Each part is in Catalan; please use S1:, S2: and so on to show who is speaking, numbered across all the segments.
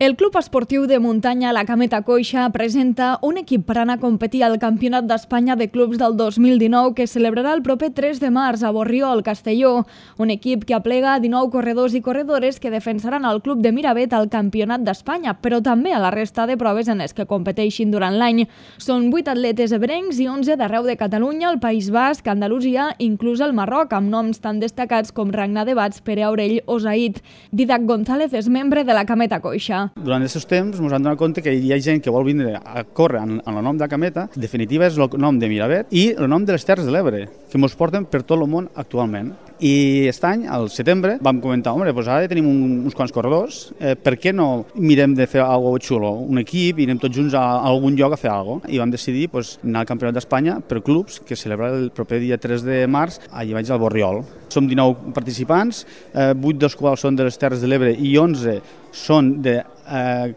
S1: El Club Esportiu de Muntanya La Cameta Coixa presenta un equip per anar a competir al Campionat d'Espanya de Clubs del 2019 que es celebrarà el proper 3 de març a Borriol, Castelló. Un equip que aplega 19 corredors i corredores que defensaran el Club de Miravet al Campionat d'Espanya, però també a la resta de proves en les que competeixin durant l'any. Són 8 atletes ebrencs i 11 d'arreu de Catalunya, el País Basc, Andalusia, inclús el Marroc, amb noms tan destacats com Ragnar de Bats, Pere Aurell o Zaid. Didac González és membre de la Cameta Coixa.
S2: Durant aquests temps ens hem donat compte que hi ha gent que vol vindre a córrer en el nom de la Cameta. En definitiva és el nom de Miravet i el nom de les Terres de l'Ebre, que ens porten per tot el món actualment. I aquest any, al setembre, vam comentar, doncs ara ja tenim uns quants corredors, per què no mirem de fer alguna cosa xulo, un equip i anem tots junts a algun lloc a fer alguna cosa? I vam decidir anar al Campionat d'Espanya per clubs, que es celebra el proper dia 3 de març allà baix al Borriol. Som 19 participants, 8 dels quals són de les Terres de l'Ebre i 11 són de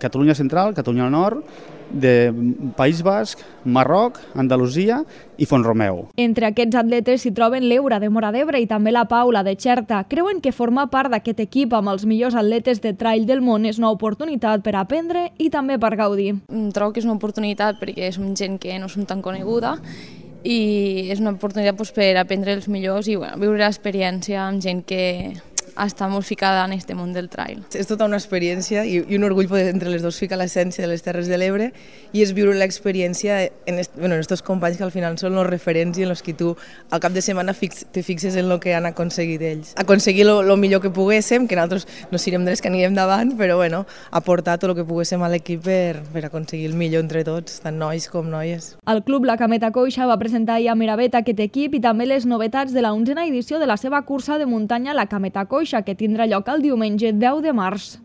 S2: Catalunya Central, Catalunya Nord, de País Basc, Marroc, Andalusia i Font-romeu.
S1: Entre aquests atletes s'hi troben l'Eura de Móra d'Ebre i també la Paula de Xerta. Creuen que formar part d'aquest equip amb els millors atletes de trail del món és una oportunitat per aprendre i també per gaudir.
S3: Trobo que és una oportunitat perquè som gent que no som tan coneguda i és una oportunitat per aprendre els millors i viure l'experiència amb gent que està molt ficada en aquest món del trail.
S4: És tota una experiència i un orgull poder entre les dues ficar l'essència de les Terres de l'Ebre i és viure l'experiència en estos companys que al final són els referents i en els que tu al cap de setmana te fixes en el que han aconseguit ells. Aconseguir el millor que poguéssim, que nosaltres no serem dels que anirem davant, però aportar tot el que poguéssim a l'equip per aconseguir el millor entre tots, tant nois com noies.
S1: El Club La Cameta Coixa va presentar ahir a Miravet aquest equip i també les novetats de la 11a edició de la seva cursa de muntanya La Cameta Coixa, que tindrà lloc el diumenge 10 de març.